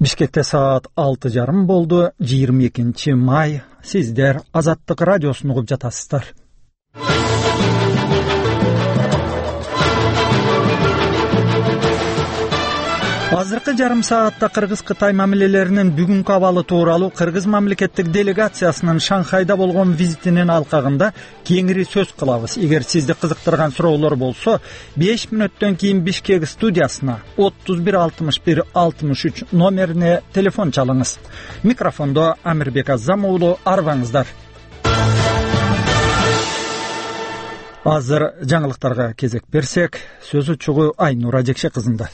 Бишкекте саат 6:30 болду. 22 май. Сиздер Азаттык радиосун угуп жатасыздар. Азыркы жарым саатта Кыргыз-Кытай мамилелеринин бүгүнкү абалы тууралуу Кыргыз мамлекеттик делегациясынын Шанхайда болгон визитинин алкагында кеңири сөз кылабыз. Эгер сизди кызыктырган суроолор болсо, 5 мүнөттөн кийин Бишкек студиясына 31 61 63 номерине телефон чалыңыз. Микрофондо Амирбек Азамуулу, арбаңыздар. Азыр жаңылыктарга кезек берсек, сөз учугу Айнура Жекше кызында.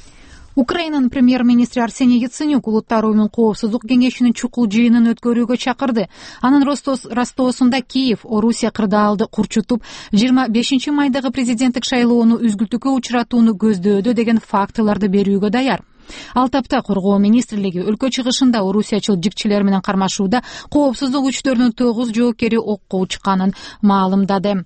Украинанын премьер-министри Арсений Яценюк Улуттар уюмунун коопсуздук кеңешинин чукул жыйынын өткөрүүгө чакырды. Анын Ростовсунда Киев Орусия кырдаалды курчутуп, 25 майдагы президенттик шайлоону үзгүлтүүгө учуратууну көздөөдө деген фактыларды берүүгө даяр. Ал тапта коргоо министрлиги өлкө чыгышында орусиячыл жикчилер менен кармашууда коопсуздук күчтөрүнүн 9 жоокери окко учканын маалымдады.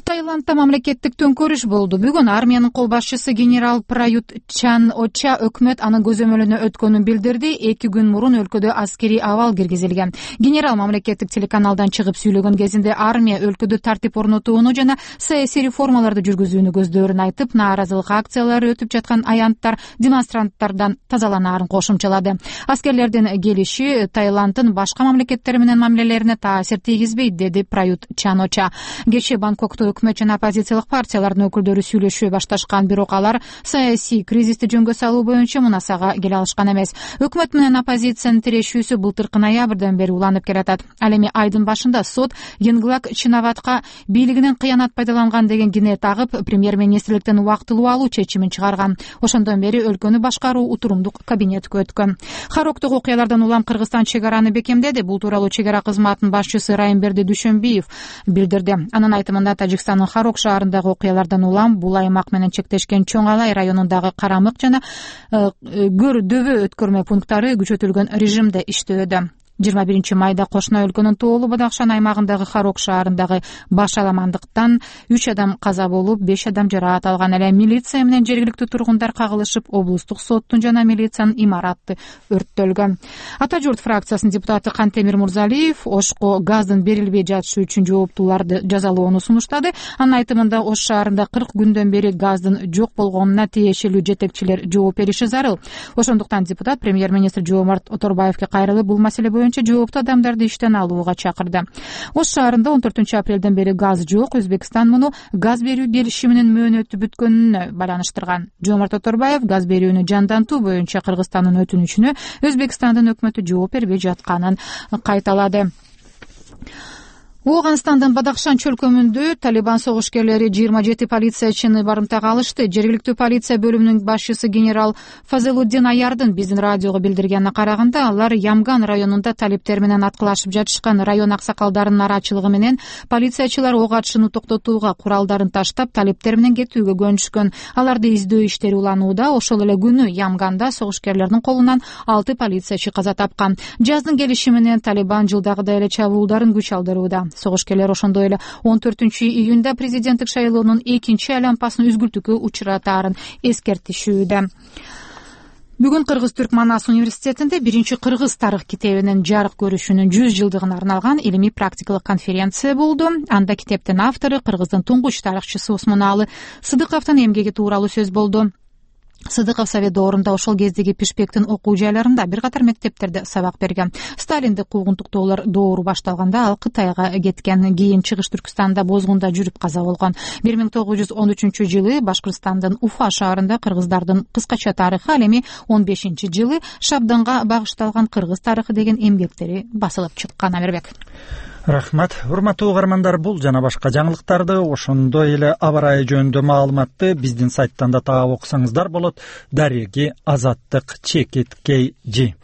Таиландда мамлекеттик төңкөрүш болду. Бүгүн армиянын кол башчысы генерал Прают Чан-Оча өкмөт анын көзөмөлүнө өткөнүн билдирди. 2 күн мурун өлкөдө аскерий абал киргизилген. Генерал мамлекеттик телеканалдан чыгып сүйлөгөн кезинде армия өлкөдө тартип орнотууну жана саясий реформаларды жүргүзүүнү көздөрүн айтып, нааразылык акциялары өтүп жаткан аянттар демонстранттардан тазаланаарын кошумчалады. Аскерлердин келиши Таиланддын башка мамлекеттер менен мамилелерине таасир тийгизбейт, деди Прают Чан-Оча. Кечээ Бангкокто өкмөт жана оппозициялык партиялардын өкүлдөрү сүйлөшүп башташкан, бирок алар саясий кризисти жөнгө салуу боюнча мунасага келе алышкан эмес. Өкмөт менен оппозициянын тирешүүсү былтыркы ноябрдан бери уланып келатат. Ал эми айдын башында сот Йинглак Чинаватка бийлигинен кыянат пайдаланган деген кине тагып, премьер-министрликтен убактылуу алуу чечимин чыгарган. Ошондон бери өлкөнү башкаруу утурумдук кабинетке өткөн. Хароктук окуялардан улам Кыргызстан чек араны бекемдеди. Бул тууралуу чек ара кызматынын башчысы Райымберди Дүйшөнбиев билдирди. Анын айтымында Тажикстандын Харок шаарындагы окуялардан улам бул аймак менен чектешкен Чоң Алай районундагы Карамык жана Көр дөбө өткөрмө пункттары күчөтүлгөн режимде иштөөдө. 21 майда кошуна өлкөнүн Тоолу Бадакшан аймагындагы Харок шаарындагы баш аламандыктан 3 адам каза болуп, 5 адам жараат алган. Эле милиция менен жергиликтүү тургундар кагылышып, облустук соттун жана милициянын имараты өрттөлгөн. Ата журт фракциясынын депутаты Кантемир Мурзалиев Ошко газдын берилбей жатышы үчүн жооптууларды жазалоону сунуштады. Анын айтымында Ош шаарында 40 күндөн бери газдын жок болгонуна тиешелүү жетекчилер жооп бериши зарыл. Ошондуктан депутат премьер-министр Жомарт Оторбаевге кайрылып, бул маселе боюнча жооптуу адамдарды иштен алууга чакырды. Ош шаарында 14 апрелден бери газ жок. Өзбекстан муну газ берүү келишиминин мөөнөтү бүткөнүнө байланыштырган. Жомарт Оторбаев газ берүүнү жандантуу боюнча Кыргызстандын өтүнүчүнө Өзбекстандын өкмөтү жооп бербей жатканын кайталады. Ооганстандын Бадакшан чөлкөмүндө Талибан согушкерлери 27 полициячыны барымтага алышты. Жергиликтүү полиция бөлүмүнүн башчысы генерал Фазелуддин Аярдын биздин радиого билдиргенине караганда, алар Ямган районунда талиптер менен аткылашып жатышкан. Район аксакалдарынын арачылыгы менен полициячылар ок атышууну токтотууга куралдарын таштап, талиптер менен кетүүгө көнүшкөн. Аларды издөө иштери уланууда. Ошол эле күнү Ямганда согушкерлердин колунан 6 полициячы каза тапкан. Жаздын келиши менен Талибан жылдагыдай эле чабуулдарын күч алдырууда. Согушкерлер ошондой эле 14-июнда президенттик шайлоонун экинчи айлампасын үзгүлтүүгө учуратаарын эскертишүүдө. Бүгүн Кыргыз-Түрк Манас университетинде 1-Кыргыз тарых китебинин жарык көрүшүнүн 100 жылдыгына арналган илимий практикалык конференция болду. Анда китептин автору Кыргыздын туңгуч тарыхчысы Усмоналы Сыдыковдун эмгеги тууралуу сөз болду. Сыдыков Совет доорунда ошол кездеги пишпектин окуу жайларында бир катар мектептерде сабак берген. Сталиндик куугунтуктоолор доору башталганда ал Кытайга кеткен. Кийин Чыгыш Түркстанда бозгунда жүрүп каза болгон. 1913-жылы Башкырстандын Уфа шаарында кыргыздардын кыскача тарыхы, ал эми 15-жылы Шабданга багышталган Кыргыз тарыхы деген эмгектери басылып чыккан. Амирбек. Рахмат. Урматтуу угармандар, бул жана башка жаңылыктарды, ошондой эле аба ырайы жөнүндө маалыматты биздин сайттан да таап окусаңыздар болот. Дареги Азаттык @KG.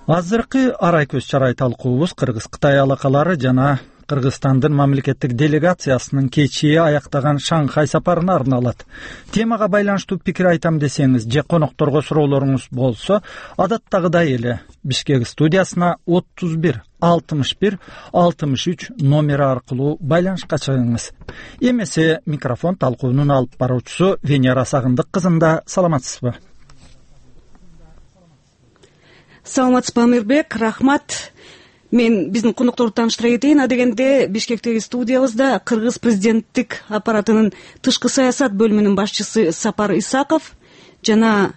Азыркы арай көз чарай талкуубуз Кыргыз-Кытай алакалары жана Кыргызстандын мамлекеттик делегациясынын кечээ аяктаган Шанхай сапарына арналат. Темага байланыштуу пикир айтам десеңиз же конокторго суроолоруңуз болсо, адаттагыдай эле Бишкек студиясына 31 61 63 номери аркылуу байланышка чыгыңыз. Эмесе микрофон талкуунун алып баруучусу Венера Сагындык кызында. Саламатсызбы? Саламатсызбы, Амирбек, рахмат. Мен биздин конокторду тааныштыра кетейин. Адегенде Бишкектеги студиябызда Кыргыз президенттик аппаратынын тышкы саясат бөлүмүнүн башчысы Сапар Исаков жана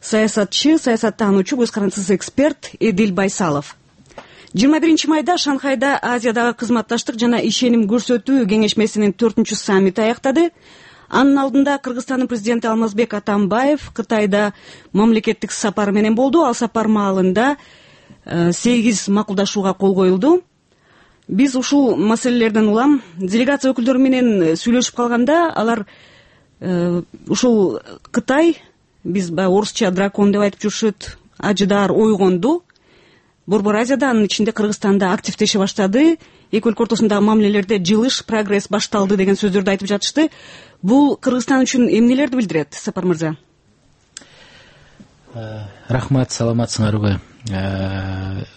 саясатчы, саясаттануучу, көз карандысыз эксперт Эдил Байсалов. 21 майда Шанхайда Азиядагы кызматташтык жана ишеним көрсөтүү кеңешмесинин 4-чү саммити аяктады. Анын алдында Кыргызстандын президенти Алмазбек Атамбаев Кытайда мамлекеттик сапар менен болду. Ал сапар маалында 8 макулдашууга кол коюлду. Биз ушул маселелерден улам делегация өкүлдөрү менен сүйлөшүп калганда, алар ушул Кытай, биз орусча дракон деп айтып жүрүшөт, ажыдаар ойгонду. Борбор Азияда, анын ичинде Кыргызстанда активдеше баштады. Эки өлкө ортосундагы мамилелерде жылыш, прогресс башталды деген сөздөрдү айтып жатышты. Бул Кыргызстан үчүн эмнелерди билдирет, Сапар мырза? Рахмат, саламатсыңарбы?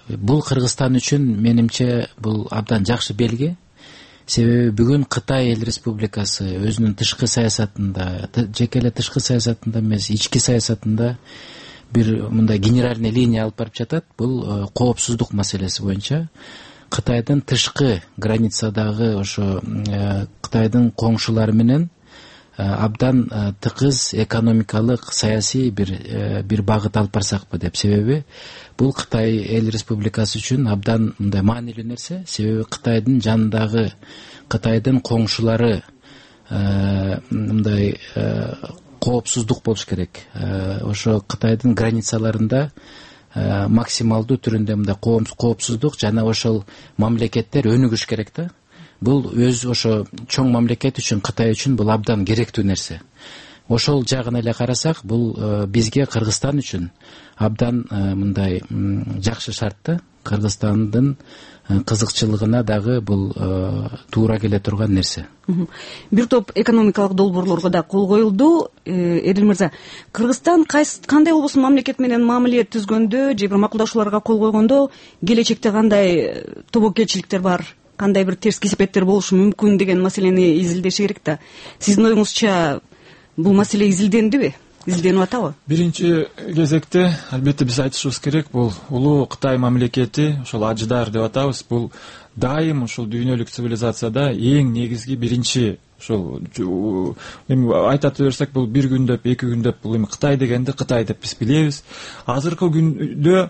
Бул Кыргызстан үчүн менимче бул абдан жакшы белги. Себеби бүгүн Кытай эл республикасы өзүнүн тышкы саясатында, жеке эле тышкы саясатында эмес, ички саясатында бир мындай генеральный линия алып барып жатат. Бул коопсуздук маселеси боюнча Кытайдын тышкы границадагы ошо Кытайдын коңшулары менен абдан тыгыз экономикалык, саясий бир багыт алып барсакпы деп. Себеби бул Кытай эл республикасы үчүн абдан мындай маанилүү нерсе. Себеби Кытайдын жанындагы, Кытайдын коңшулары мындай коопсуздук болуш керек. Ошо Кытайдын границаларында максималдуу түрүндө мындай коопсуздук жана ошол мамлекеттер өнүгүш керек да. Бул өз ошо чоң мамлекет үчүн, Кытай үчүн бул абдан керектүү нерсе. Ошол жагын эле карасак, бул бизге, Кыргызстан үчүн абдан мындай жакшы шарт да. Кыргызстандын кызыкчылыгына дагы бул туура келе турган нерсе. Бир топ экономикалык долбоорлорго да кол коюлду. Эдил мырза, Кыргызстан кандай болбосун мамлекет менен мамиле түзгөндө же бир макулдашууларга кол койгондо келечекте кандай тобокелчиликтер бар, кандай бир терс кесепеттер болушу мүмкүн деген маселени изилдеш керек да. Сиздин оюңузча бул маселе изилдендиби? Изилденип атабы? Биринчи кезекте албетте биз айтышыбыз керек, бул улуу Кытай мамлекети, ошол ажыдаар деп атабыз, бул дайым ушул дүйнөлүк цивилизацияда эң негизги биринчи ошол эми айтат берсек, бул бир күндөп, эки күндөп бул эми Кытай дегенди Кытай деп биз билебиз. Азыркы күндө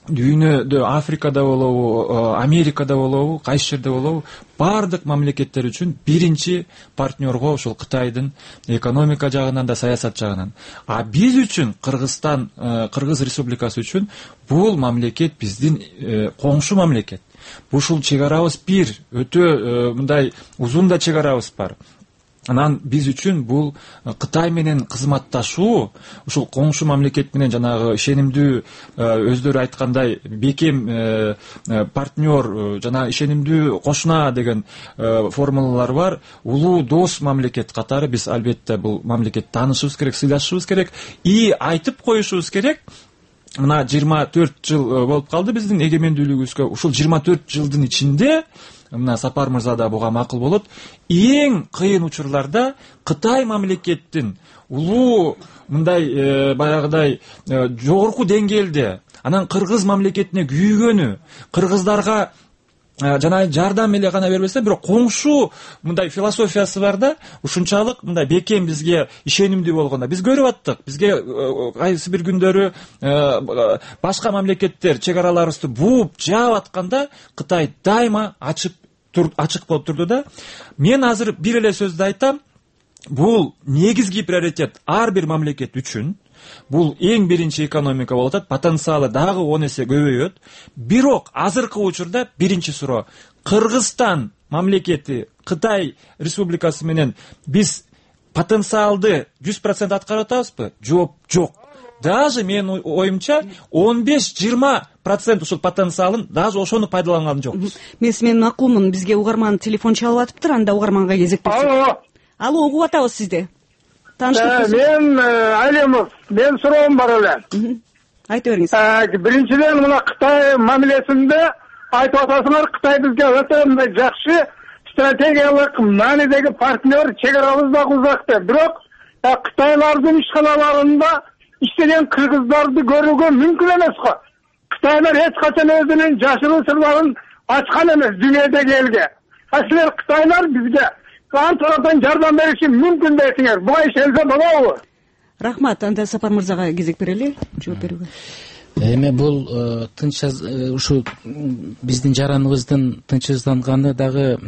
дүйнөдө Африкада болобу, Америкада болобу, кайсы жерде болобу, бардык мамлекеттер үчүн биринчи партнерго ошол Кытайдын экономика жагынан да, саясат жагынан. А биз үчүн, Кыргызстан, Кыргыз республикасы үчүн бул мамлекет биздин коңшу мамлекет. Ушул чек арабыз бир, өтө мындай узун да чек арабыз бар. Анан биз үчүн бул Кытай менен кызматташуу, ушул коңшу мамлекет менен жанагы ишенимдүү, өздөрү айткандай бекем партнер жана ишенимдүү кошуна деген формулалар бар. Улуу дос мамлекет катары биз албетте бул мамлекетти таанышыбыз керек, сыйлашыбыз керек и айтып коюшубуз керек. Мына 24 жыл болуп калды биздин эгемендүүлүгүбүзгө. Ушул 24 жылдын ичинде, мына Сапар мырза да буга макул болот, эң кыйын учурларда Кытай мамлекеттин улуу мындай баягыдай жогорку деңгээлде анан кыргыз мамлекетине күйгөнү, кыргыздарга жана жардам эле гана бербесе, бирок коңшу мындай философиясы бар да, ушунчалык мындай бекем бизге ишенимдүү болгондо биз көрүп аттык. Бизге кайсы бир күндөрү башка мамлекеттер чек араларыбызды бууп жаап атканда Кытай дайыма ачык болуп турду да. Мен азыр бир эле сөздү айтам. Бул негизги приоритет ар бир мамлекет үчүн. Бул эң биринчи экономика болуп атат, потенциалы дагы 10 эсе көбөйөт. Бирок азыркы учурда биринчи суроо: Кыргызстан мамлекети Кытай республикасы менен биз потенциалды 100% аткарып атабызбы? Жооп жок. даже менин оюмча 15-20% ушул потенциалын даже ошону пайдаланган жокпуз. Мен сиздин макулмун. Бизге угарман телефон чалып атыптыр, анда угарманга кезек берсек. Алло, угуп атабыз сизди. Тааныштырып койсоңуз. Мен Алимов, мен суроом бар эле. Айта бериңиз. Биринчиден мына Кытай мамилесинде айтып атасыңар, Кытай бизге өтө мындай жакшы стратегиялык маанидеги партнер, чек арабыз дагы узак деп. Бирок Кытайлардын ишканаларында иштеген кыргыздарды көрүүгө мүмкүн эмес го. Кытайлар эч качан өзүнүн жашыруу сырларын ачкан эмес дүйнөдөгү элге. Силер Кытайлар бизге кан тараптан жардам бериши мүмкүн дейсиңер. Буга ишенсе болобу? Рахмат. Анда Сапар мырзага кезек берели жооп берүүгө. Эми бул тынч ушу биздин жараныбыздын тынчсызданганы дагы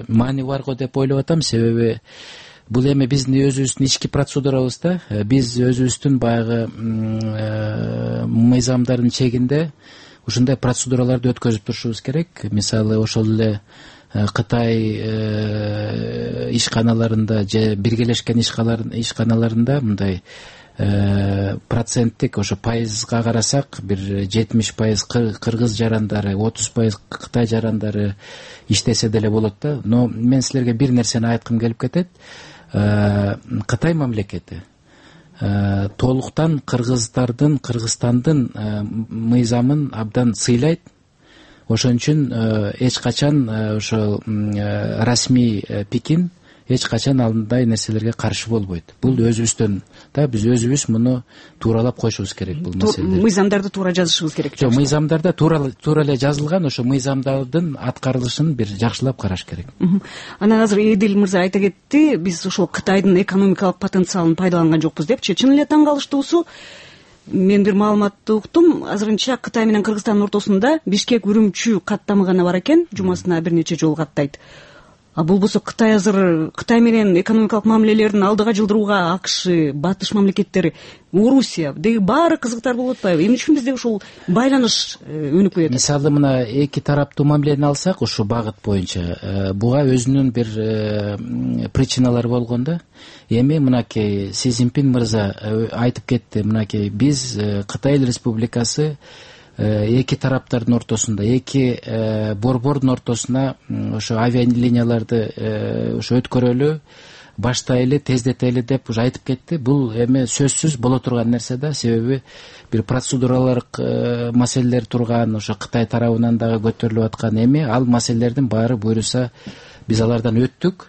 маани бар го деп ойлоп атам. Себеби бул эми биздин өзүбүздүн ички процедурабыз да. Биз өзүбүздүн баягы мыйзамдардын чегинде ушундай процедураларды өткөзүп турушубуз керек. Мисалы ошол эле Кытай ишканаларында же биргелешкен ишканаларында мындай проценттик ошо пайызга карасак бир 70% кыргыз жарандары, 30% Кытай жарандары иштесе деле болот да. Но мен силерге бир нерсени айткым келип кетет. Кытай мамлекети толуктан Кыргызстандын мыйзамын абдан сыйлайт. Ошон үчүн эч качан ошо расмий Пекин эч качан андай нерселерге каршы болбойт. Бул өзүбүздөн да, биз өзүбүз муну тууралап койушубуз керек бул маселе. Мыйзамдарды туура жазышыбыз керек. Жок, мыйзамдарда туура эле жазылган, ошо мыйзамдардын аткарылышын бир жакшылап караш керек. Анан азыр Эдил мырза айта кетти, биз ошол Кытайдын экономикалык потенциалын пайдаланган жокпуз депчи. Чын эле таң калыштуусу, мен бир маалыматты уктум. Азырынча Кытай менен Кыргызстандын ортосунда Бишкек-Үрүмчү каттамы гана бар экен, жумасына бир нече жолу каттайт. Бул болсо Кытай азыр Кытай менен экономикалык мамилелерин алдыга жылдырууга АКШ, батыш мамлекеттери, Орусия деги баары кызыктар болуп атпайбы? Эмне үчүн бизде ушул байланыш өнүкпөй атат? Мисалы мына эки тараптуу мамилени алсак, ушу багыт боюнча буга өзүнүн бир причиналары болгон да. Эми мынакей Си Цзиньпин мырза айтып кетти, мынакей биз Кытай Республикасы эки тараптардын ортосунда, эки борбордун ортосуна ошо авиалинияларды ошо өткөрөлү, баштайлы, тездетели деп уже айтып кетти. Бул эми сөзсүз боло турган нерсе да, себеби бир процедуралык маселелер турган, ошо Кытай тарабынан дагы көтөрүлүп аткан. Эми ал маселелердин баары буйруса биз алардан өттүк.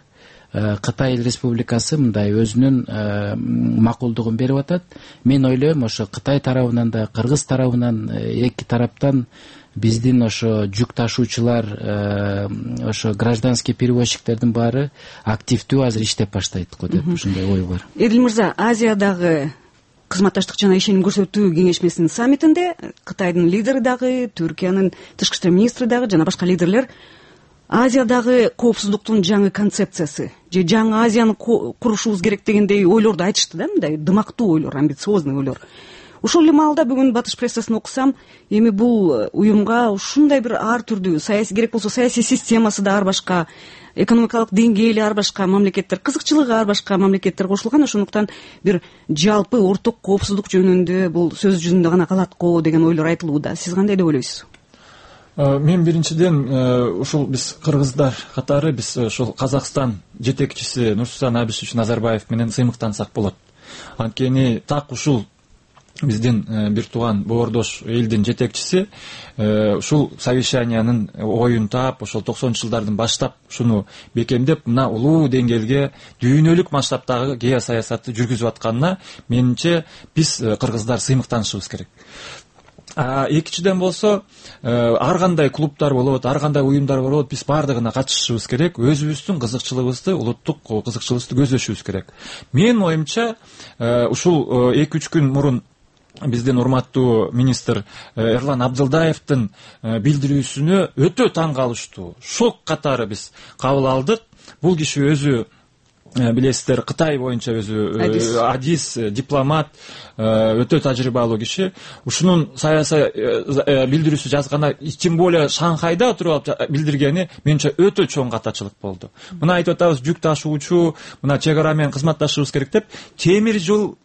Кытай Республикасы мындай өзүнүн макулдугун берип атат. Мен ойлойм, ошо Кытай тарабынан да, Кыргыз тарабынан эки тараптан биздин ошо жүк ташуучулар, ошо гражданский перевозчиктердин баары активдүү азыр иштеп баштайт го деп ушундай ой бар. Эдил мырза, Азиядагы кызматташтык жана ишеним көрсөтүү кеңешмесинин саммитинде Кытайдын лидери дагы, Түркиянын тышкы иштер министри дагы жана башка лидерлер Азиядагы коопсуздуктун жаңы концепциясы же жаңы Азияны курушубуз керек дегендей ойлорду айтышты да, мындай дымактуу ойлор, амбициозный ойлор. Ошол эле маалда бүгүн батыш прессасын окусам, эми бул уюмга ушундай бир ар түрдүү саясий керек болсо саясий системасы да ар башка, экономикалык деңгээли ар башка мамлекеттер, кызыкчылыгы ар башка мамлекеттер кошулган. Ошондуктан бир жалпы орток коопсуздук жөнүндө бул сөз жүзүндө гана калат го деген ойлор айтылууда. Сиз кандай деп ойлойсуз? Мен биринчиден ушул биз кыргыздар катары биз ушул Казакстан жетекчиси Нурсултан Абишевич Назарбаев менен сыймыктансак болот. Анткени так ушул биздин бир тууган боордош элдин жетекчиси ушул совещаниянын оюн таап, ошол 90-жылдардын баштап ушуну бекемдеп, мына улуу деңгээлге дүйнөлүк масштабтагы геосаясатты жүргүзүп атканына менимче биз кыргыздар сыймыктанышыбыз керек. Экинчиден болсо, ар кандай клубдар болот, ар кандай уюмдар болот, биз баардыгына катышышыбыз керек, өзүбүздүн кызыкчылыгыбызды, улуттук кызыкчылыгыбызды көздөшүбүз керек. Менин оюмча, ушул 2-3 күн мурун биздин урматтуу министр Эрлан Абдылдаевдин билдирүүсүнө өтө таң калыштуу, шок катары биз кабыл алдык. Бул киши өзү билесиздер, Кытай боюнча өзү адис, дипломат, өтө тажрыйбалуу киши. Ушунун саясий билдирүүсү жазганда, тем более Шанхайда отуруп алып билдиргени менимче өтө чоң катачылык болду. Мына айтып атабыз, жүк ташуучу, мына чек ара менен кызматташыбыз керек деп, темир жол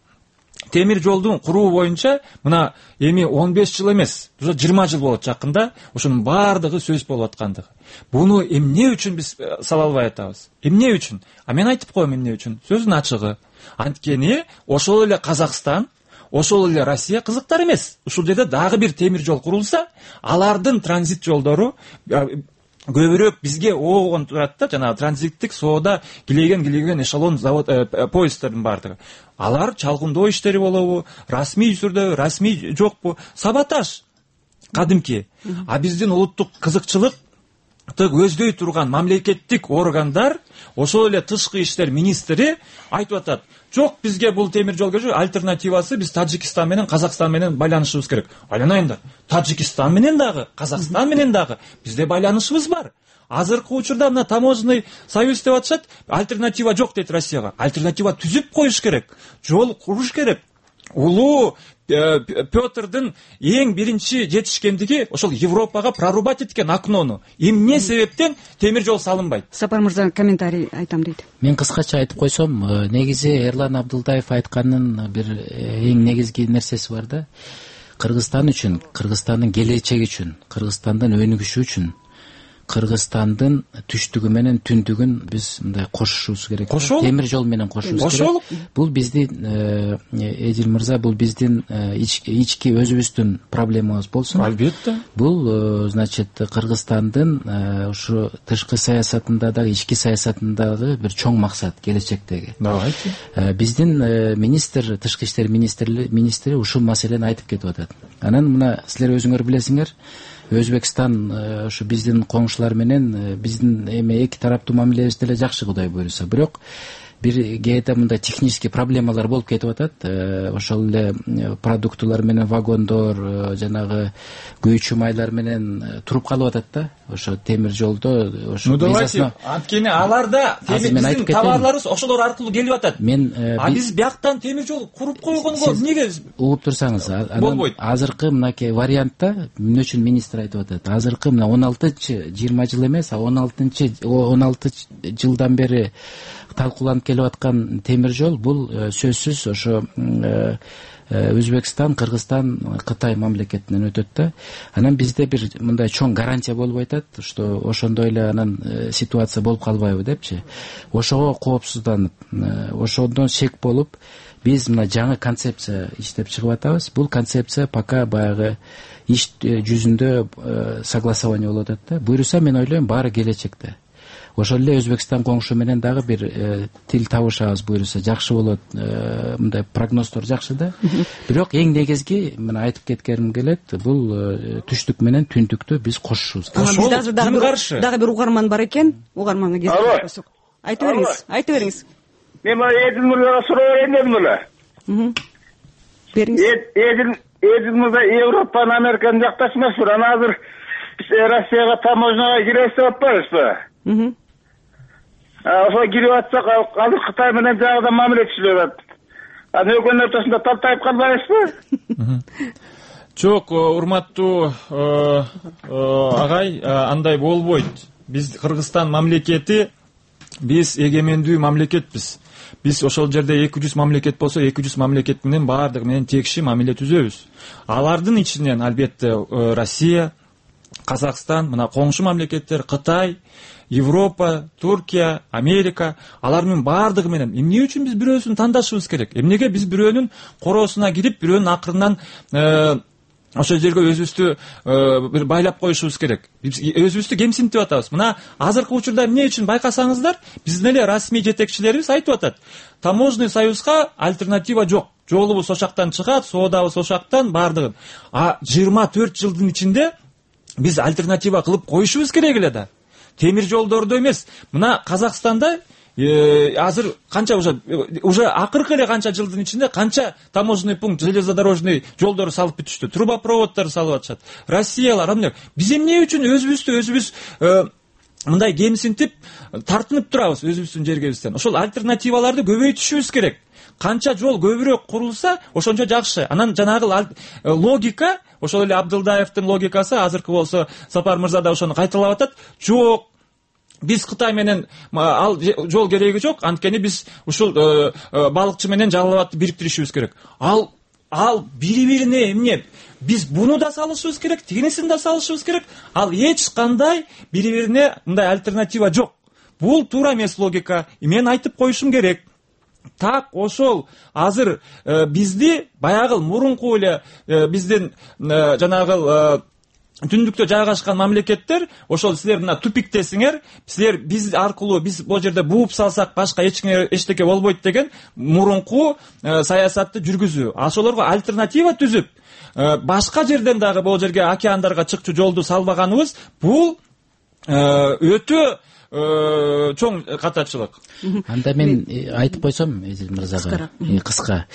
темир жолдун куруу боюнча мына эми 15 жыл эмес, уже 20 жыл болот жакында ошонун баардыгы сөз болуп аткандыгы. Буну эмне үчүн биз сала албай атабыз? Эмне үчүн? Мен айтып коем эмне үчүн. Сөздүн ачыгы. Анткени ошол эле Казакстан, ошол эле Россия кызыктар эмес. Ушул жерде дагы бир темир жол курулса, алардын транзит жолдору көбүрөөк бизге оогон турат да, жанагы транзиттик соода килеген эшелон завод поезддердин баардыгы. Алар чалгындоо иштери болобу, расмий түрдө, расмий жокпу, саботаж кадимки. А биздин улуттук кызыкчылык көздөй турган мамлекеттик органдар, ошол эле тышкы иштер министри айтып атат: жок, бизге бул темир жол керек, альтернативасы биз Таджикистан менен Казакстан менен байланышыбыз керек. Айланайындар, Таджикистан менен дагы, Казакстан менен дагы бизде байланышыбыз бар. Азыркы учурда мына таможенный союз деп атышат, альтернатива жок дейт Россияга. Альтернатива түзүп коюш керек, жол куруш керек. Улуу Петрдин эң биринчи жетишкендиги ошол Европага прорубать эткен окнону. Эмне себептен темир жол салынбайт? Сапар мырза комментарий айтам дейт. Мен кыскача айтып койсом, негизи Эрлан Абдылдаев айтканын бир эң негизги нерсеси бар да. Кыргызстан үчүн, Кыргызстандын келечеги үчүн, Кыргызстандын өнүгүшү үчүн, Кыргызстандын түштүгү менен түндүгүн биз мындай кошушубуз керек. Темир жол менен кошушубуз керек. Бул биздин Эдил мырза, бул биздин ички өзүбүздүн проблемабыз болсун. Албетте. Бул значит Кыргызстандын ушу тышкы саясатында дагы, ички саясатындагы бир чоң максат келечектеги. Давайте. Биздин министр, тышкы иштер министри ушул маселени айтып кетип атат. Анан мына силер өзүңөр билесиңер, Өзбекстан ушу биздин коңшулар менен биздин эми эки тараптуу мамилебиз деле жакшы, Кудай буйруса. Бирок бир кээде мындай технический проблемалар болуп кетип атат. Ошол эле продуктулар менен вагондор, жанагы күйүүчү майлар менен туруп калып атат да. Ошо темир жолдо ошо визасына. Анткени аларда биздин товарларыбыз ошолор аркылуу келип атат. А биз бияктан темир жол куруп койгонго эмнеге? Угуп турсаңыз, азыркы мынакей вариантта эмне үчүн министр айтып атат? Азыркы мына 16-20 жыл эмес, 16 жылдан бери талкууланып келип аткан темир жол бул сөзсүз ошо Өзбекстан, Кыргызстан, Кытай мамлекетинен өтөт да. Анан бизде бир мындай чоң гарантия болуп атат, что ошондой эле анан ситуация болуп калбайбы депчи. Ошого коопсузданып, ошондон шек болуп, биз мына жаңы концепция иштеп чыгып атабыз. Бул концепция пока баягы иш жүзүндө согласование болуп атат да. Буйруса мен ойлойм баары келечекте. Ошол эле Өзбекстан коңшу менен дагы бир тил табышабыз, буйруса жакшы болот. Мындай прогноздор жакшы да. Бирок эң негизги мен айтып кеткеним келет, бул түштүк менен түндүктү биз кошушубуз керек. Дагы бир угарман бар экен. Угарманга кезип. Айтып бериңиз. Мен Эдил мырзага суроо берейин дедим эле. Бериңиз. Эдил мырза Европаны, Американы жакташ эмеспи? Анан азыр Россияга таможняга киребиз деп атпайбызбы? Ошо кирип атсак, азыр Кытай менен жагыда мамиле түзүлүп атат. Анан экөөнүн ортосунда талтайып калбайбызбы? Жок, урматтуу агай, андай болбойт. Биз Кыргызстан мамлекети, биз эгемендүү мамлекетпиз. Биз ошол жерде 200 мамлекет болсо, 200 мамлекет менен баардыгы менен текши мамиле түзөбүз. Алардын ичинен албетте Россия, Казакстан, мына коңшу мамлекеттер, Кытай, Европа, Туркия, Америка, алар менен баардыгы менен эмне үчүн биз бирөөсүн тандашыбыз керек? Эмнеге биз бирөөнүн короосуна кирип, бирөөнүн акырынан ошол жерге өзүбүздү бир байлап коюшубуз керек? Биз өзүбүздү кемсинтип атабыз. Мына азыркы учурда эмне үчүн байкасаңыздар, биздин эле расмий жетекчилерибиз айтып атат. Таможенный союзга альтернатива жок. Жолубуз ошактан чыгат, соодабыз ошактан, баардыгын. А 24 жылдын ичинде биз альтернатива кылып коюшубуз керек эле да. Темир жолдордо эмес. Мына Казакстанда азыр канча уже акыркы эле канча жылдын ичинде канча таможенный пункт, железнодорожный жолдору салып бүтүштү, трубопроводдорду салып атышат. Россиялар эмне? Биз эмне үчүн өзүбүз мындай кемсинтип, тартынып турабыз өзүбүздүн жергебизден? Ошол альтернативаларды көбөйтүшүбүз керек. Канча жол көбүрөөк курулса, ошончо жакшы. Анан жанагы логика, ошол эле Абдылдаевдин логикасы азыркы болсо Сапар мырза да ошону кайталап атат. Жок, биз Кытай менен ал жол кереги жок, анткени биз ушул балыкчы менен Жалал Абадты бириктиришибиз керек. Ал бири-бирине эмне, биз буну да салышыбыз керек, тигинисин да салышыбыз керек. Ал эч кандай бири-бирине мындай альтернатива жок. Бул туура эмес логика. Мен айтып коюшум керек. Так ошол азыр бизди баягы мурунку эле биздин жанагы түндүктө жайгашкан мамлекеттер ошол силер мына тупиктесиңер, силер биз аркылуу биз бул жерде бууп салсак башка эчтеке болбойт деген мурунку саясатты жүргүзүү. Ошолорго альтернатива түзүп башка жерден дагы бул жерге океандарга чыкчу жолду салбаганыбыз бул өтө чоң катачылык. Анда мен айтып койсом Эзил мырзага кыска.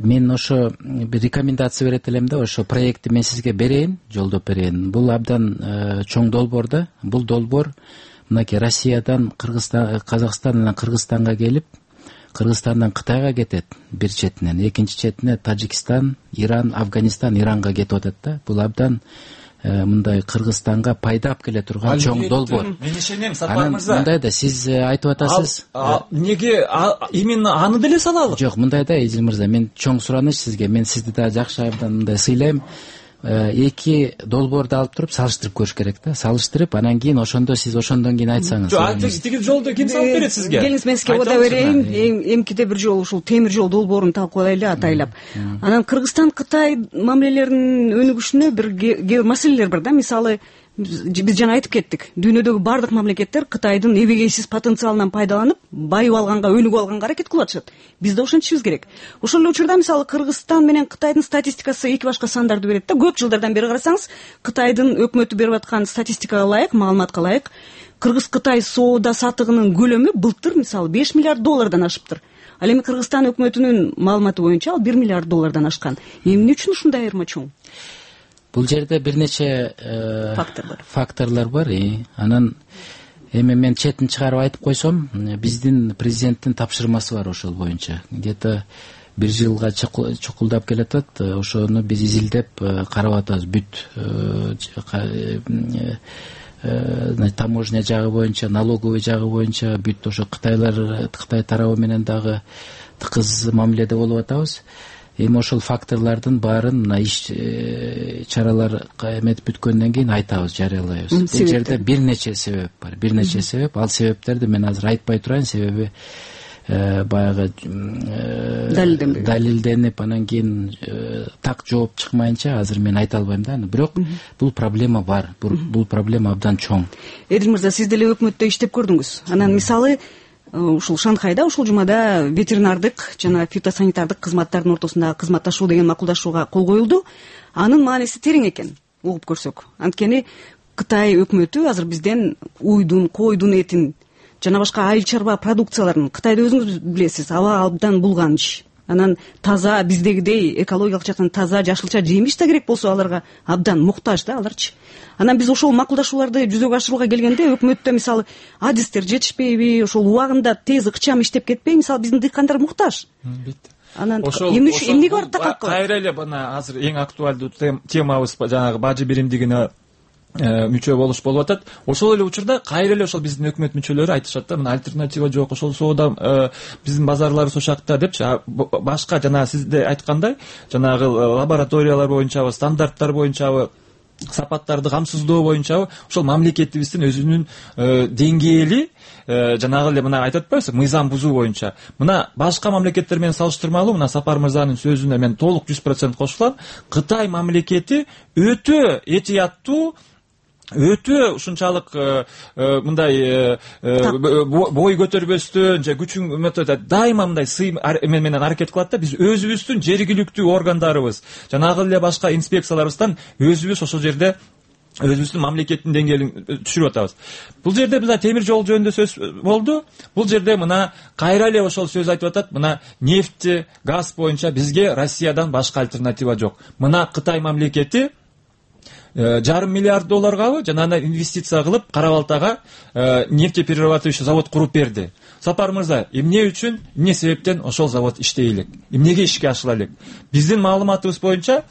Мен ошо бир рекомендация берет элем да, ошо проектти мен сизге берейин, жолдоп берейин. Бул абдан чоң долбоор да. Бул долбоор мынакей Россиядан Казакстандан Кыргызстанга келип, Кыргызстандан Кытайга кетет бир четинен, экинчи четине Тажикстан, Иран, Афганистан, Иранга кетип атат да. Бул абдан мындай Кыргызстанга пайда алып келе турган чоң долбоор. Мен ишенем, Сапар мырза. Мындай да сиз айтып атасыз. Неге именно аны деле салалы? Жок, мындай да Эзил мырза, мен чоң сураныч сизге. Мен сизди да жакшы абдан мындай сыйлайм. Эки долбоорду алып туруп салыштырып көрүш керек да. Салыштырып, анан кийин ошондо сиз ошондон кийин айтсаңыз. Жок, тиги жолду ким салып берет сизге? Келиңиз, мен сизге ода берейин. Эмкиде бир жолу ушул темир жол долбоорун талкуулайлы атайлап. Анан Кыргызстан Кытай мамилелеринин өнүгүшүнө бир маселелер бар да. Мисалы, биз жана айтып кеттик, дүйнөдөгү бардык мамлекеттер Кытайдын эбегейсиз потенциалынан пайдаланып, байып алганга, өнүгүп алганга аракет кылып атышат. Биз да ошентишибиз керек. Ошол эле учурда мисалы Кыргызстан менен Кытайдын статистикасы эки башка сандарды берет да. Көп жылдардан бери карасаңыз, Кытайдын өкмөтү берип аткан статистикага ылайык, маалыматка ылайык, Кыргыз-Кытай соода сатыгынын көлөмү былтыр мисалы 5 миллиард доллардан ашыптыр. Ал эми Кыргызстан өкмөтүнүн маалыматы боюнча ал 1 миллиард доллардан ашкан. Эмне үчүн ушундай айырма чоң? Бул жерде бир нече факторлор бар. Анан эми мен четин чыгарып айтып койсом, биздин президенттин тапшырмасы бар ошол боюнча. Где-то бир жылга чукулдап келатат. Ошону биз изилдеп карап атабыз. Бүт таможня жагы боюнча, налоговый жагы боюнча бүт ошо Кытай тарабы менен дагы тыкыз мамиледе болуп атабыз. Эми ошол факторлордун баарын мына иш чаралар эметип бүткөндөн кийин айтабыз, жарыялайбыз. Бул жерде бир нече себеп бар. Бир нече себеп. Ал себептерди мен азыр айтпай турайын, себеби баягы далилденип анан кийин так жооп чыкмайынча азыр мен айта албайм да. Бирок бул проблема бар. Бул проблема абдан чоң. Эдил мырза, сиз деле өкмөттө иштеп көрдүңүз. Анан мисалы ушул Шанхайда ушул жумада ветеринардык жана фитосанитардык кызматтардын ортосундагы кызматташуу деген макулдашууга кол коюлду. Анын мааниси терең экен, угуп көрсөк. Анткени Кытай өкмөтү азыр бизден уйдун, койдун этин жана башка айыл чарба продукцияларын, Кытайда өзүңүз билесиз, аба абдан булганыч. Анан таза, биздегидей экологиялык жактан таза, жашылча жемиш да керек болсо аларга абдан муктаж да аларчы. Анан биз ошол макулдашууларды жүзөгө ашырууга келгенде өкмөттө мисалы адистер жетишпейби, ошол убагында тез ыкчам иштеп кетпей, мисалы биздин дыйкандар муктаж. Анан эмнеге барып такалып калат? Кайра эле мына азыр эң актуалдуу темабыз жанагы бажы биримдигине мүчө болуш болуп атат. Ошол эле учурда кайра эле ошол биздин өкмөт мүчөлөрү айтышат да, мына альтернатива жок, ошол соода биздин базарларыбыз ошакта депчи. Башка жана сизде айткандай, жанагы лабораториялар боюнчабы, стандарттар боюнчабы, сапаттарды камсыздоо боюнчабы ошол мамлекетибиздин өзүнүн деңгээли жанагы эле мына айтып атпайбызбы, мыйзам бузуу боюнча. Мына башка мамлекеттер менен салыштырмалуу, мына Сапар мырзанын сөзүнө мен толук 100% кошулам. Кытай мамлекети өтө этияттуу, өтө ушунчалык мындай бой көтөрбөстөн же күчүн дайыма мындай сый менен аракет кылат да. Биз өзүбүздүн жергиликтүү органдарыбыз, жанагы эле башка инспекцияларыбыздан өзүбүз ошол жерде өзүбүздүн мамлекеттин деңгээлин түшүрүп атабыз. Бул жерде мына темир жол жөнүндө сөз болду. Бул жерде мына кайра эле ошол сөз айтып атат. Мына нефти, газ боюнча бизге Россиядан башка альтернатива жок. Мына Кытай мамлекети $1,5 миллиард жанагы инвестиция кылып Кара Балтага нефтеперерабатывающий завод куруп берди. Сапар мырза, эмне үчүн, эмне себептен ошол завод иштей элек? Эмнеге ишке ашыла элек? Биздин маалыматыбыз боюнча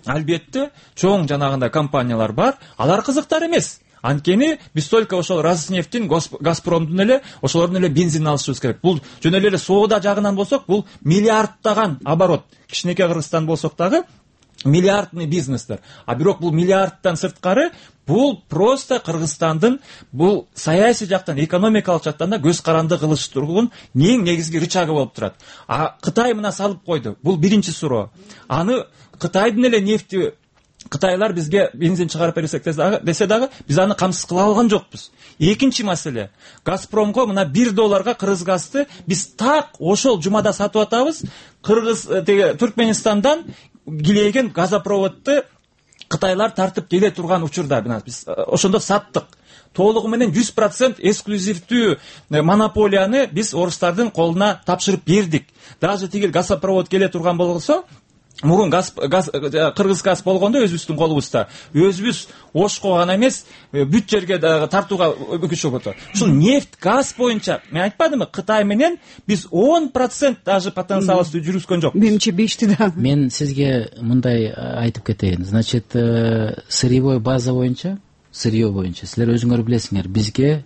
албетте чоң жанагындай компаниялар бар. Алар кызыктар эмес. Анткени биз только ошол Роснефтин, Газпромдун эле ошолордун эле бензинин алышыбыз керек. Бул жөн эле соода жагынан болсок, бул миллиардтаган оборот. Кичинекей Кыргызстан болсок дагы миллиардный бизнестер. А бирок бул миллиардтан сырткары бул просто Кыргызстандын бул саясий жактан, экономикалык жактан да көз каранды кылыштырган эң негизги рычагы болуп турат. А Кытай мына салып койду. Бул биринчи суроо. Аны Кытайдын эле нефти Кытайлар бизге бензин чыгарып берсек десе дагы биз аны камсыз кыла алган жокпуз. Экинчи маселе. Газпромго мына $1 Кыргызгазды биз так ошол жумада сатып атабыз. Түркменистандан килеген газопроводду Кытайлар тартып келе турган учурда биз ошондо саттык. Толугу менен 100% эксклюзивдүү монополияны биз орустардын колуна тапшырып бердик. Даже тигил газопровод келе турган болсо, мурун Кыргыз газ болгондо өзүбүздүн колубузда, өзүбүз Ошко гана эмес, бүт жерге тартууга өкүнчү болду. Ушул нефть, газ боюнча мен айтпадымбы, Кытай менен биз 10% даже потенциалыбызды жүргүзгөн жокпуз. Менимче 5ти да. Мен сизге мындай айтып кетейин. Значит, сырьевой база боюнча, сырье боюнча силер өзүңөр билесиңер, бизге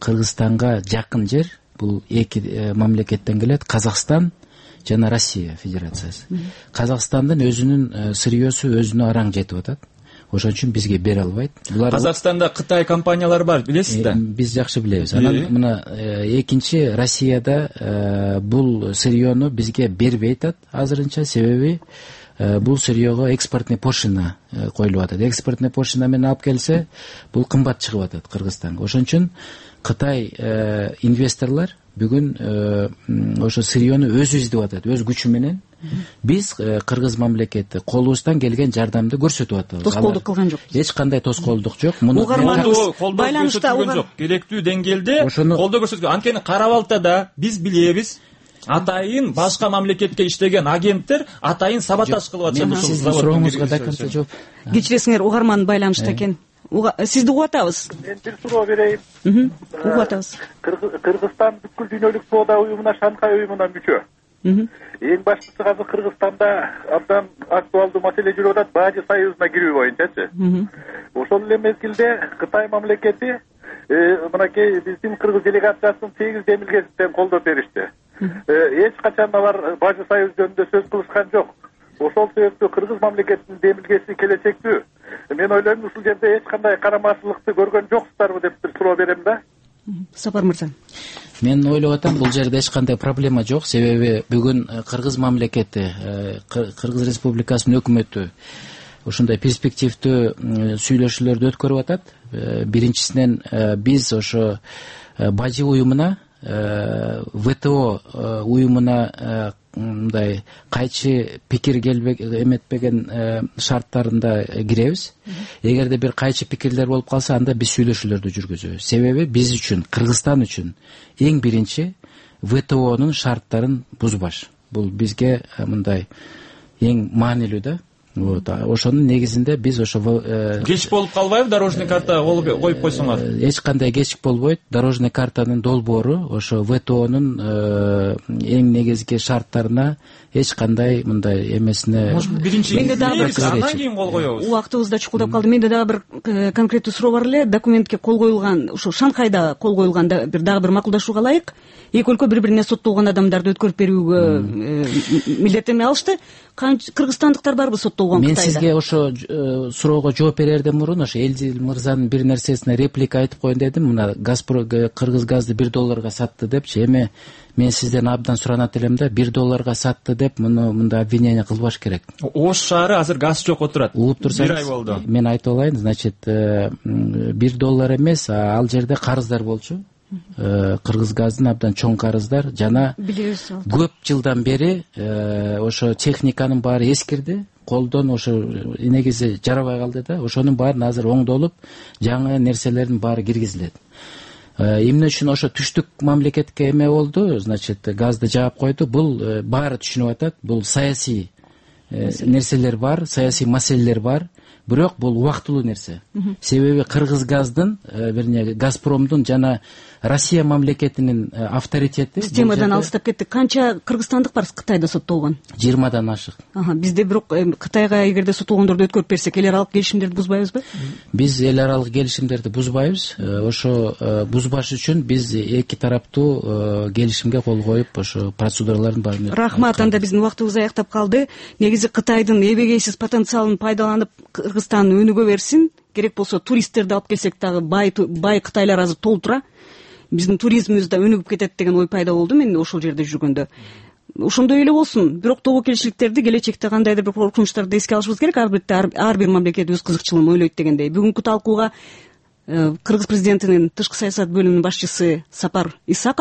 Кыргызстанга жакын жер бул эки мамлекеттен келет, Казакстан жана Россия Федерациясы. Казакстандын өзүнүн сырьесу өзүнө араң жетип атат. Ошон үчүн бизге бере албайт. Казакстанда Кытай компаниялары бар, билесиз да? Биз жакшы билебиз. Анан мына экинчи Россияда бул сырьену бизге бербей атат азырынча, себеби бул сырьего экспортный пошлина коюлуп атат. Экспортный пошлина менен алып келсе, бул кымбат чыгып атат Кыргызстанга. Ошон үчүн Кытай инвесторлор бүгүн ошо сырьену өзү издеп атат, өз күчү менен. Биз Кыргыз мамлекети колубуздан келген жардамды көрсөтүп атабыз. Тоскоолдук кылган жокпуз. Эч кандай тоскоолдук жок. Муну байланышта жок. Керектүү деңгээлде колдоо көрсөткөн. Анткени Кара-Балтада биз билебиз, атайын башка мамлекетке иштеген агенттер атайын саботаж кылып атышат. Сиздин сурооңузга да конце жооп. Кечиресиңер, угарман байланышта экен. Сизди угуп атабыз. Мен бир суроо берейин. Угуп атабыз. Кыргызстан бүткүл дүйнөлүк соода уюмуна, Шанхай уюмуна мүчө. Эң баштысы азыр Кыргызстанда абдан актуалдуу маселе жүрүп атат, Бажы союзуна кирүү боюнчачы. Ошол эле мезгилде Кытай мамлекети мынакей биздин Кыргыз делегациясын 8 демилгесинден колдоп беришти. Эч качан алар Бажы союз жөнүндө сөз кылышкан жок. Ошол себептүү Кыргыз мамлекетинин демилгеси келечектүү. Мен ойлойм, ушул жерде эч кандай карамачылыкты көргөн жоксуздарбы деп бир суроо берем да. Сапар мырза. Мен ойлоп атам, бул жерде эч кандай проблема жок, себеби бүгүн Кыргыз мамлекети, Кыргыз Республикасынын өкмөтү ушундай перспективдүү сүйлөшүүлөрдү өткөрүп атат. Биринчисинен биз ошо Бажы уюмуна, ВТО уюмуна мындай кайчы пикир эметпеген шарттарында киребиз. Эгерде бир кайчы пикирлер болуп калса, анда биз сүйлөшүүлөрдү жүргүзөбүз. Себеби биз үчүн, Кыргызстан үчүн эң биринчи ВТОнун шарттарын бузбаш. Бул бизге мындай эң маанилүү да. Ошонун негизинде биз ошо кеч болуп калбайбы дорожный карта коюп койсоңор? Эч кандай кеч болбойт. Дорожный картанын долбоору ошо ВТОнун эң негизги шарттарына эч кандай мындай эмесине биринчи андан кийин кол коебуз. Убактыбыз да чукулдап калды. Менде дагы бир конкреттүү суроо бар эле. Документке кол коюлган, ушу Шанхайда кол коюлган дагы бир макулдашууга ылайык эки өлкө бири-бирине соттолгон адамдарды өткөрүп берүүгө милдеттенме алышты. Кыргызстандыктар барбы соттолгон Кытайда? Мен сизге ошо суроого жооп берерден мурун ошо Элдил мырзанын бир нерсесине реплика айтып коеюн дедим. Мына Кыргыз газды $1 сатты депчи. Эми мен сизден абдан суранат элем да, $1 сатты деп мындай обвинение кылбаш керек. Ош шаары азыр газ жок отурат. Угуп турсаңыз, бир ай болду. Мен айтып алайын, значит, $1 эмес, ал жерде карыздар болчу. Кыргыз газдын абдан чоң карыздар жана көп жылдан бери ошо техниканын баары эскирди, колдон ошо негизи жарабай калды да. Ошонун баарын азыр оңдолуп, жаңы нерселердин баары киргизилет. Эмне үчүн ошо түштүк мамлекетке эме болду, значит, газды жаап койду. Бул баары түшүнүп атат. Бул саясий нерселер бар, саясий маселелер бар. Бирок бул убактылуу нерсе. Себеби Кыргыз газдын, вернее, Газпромдун жана Россия мамлекетинин авторитети системадан алыстап кетти. Канча кыргызстандык бар Кытайда соттолгон? 20-дан ашык. Бизде бирок Кытайга эгерде соттолгондорду өткөрүп берсек, эл аралык келишимдерди бузбайбызбы? Биз эл аралык келишимдерди бузбайбыз. Ошо бузбаш үчүн биз эки тараптуу келишимге кол коюп, ошо процедуралардын баарын. Рахмат. Анда биздин убактыбыз аяктап калды. Негизи Кытайдын эбегейсиз потенциалын пайдаланып Кыргызстан өнүгө берсин. Керек болсо туристтерди алып келсек дагы бай кытайлар азыр толтура. Биздин туризмибиз да өнүгүп кетет деген ой пайда болду мен ошол жерде жүргөндө. Ошондой эле болсун. Бирок тобокелчиликтерди келечекте кандайдыр бир коркунучтарды эске алышыбыз керек. Ар бир мамлекет өз кызыкчылыгын ойлойт дегендей. Бүгүнкү талкууга Кыргыз президентинин тышкы саясат бөлүмүнүн башчысы Сапар Исаков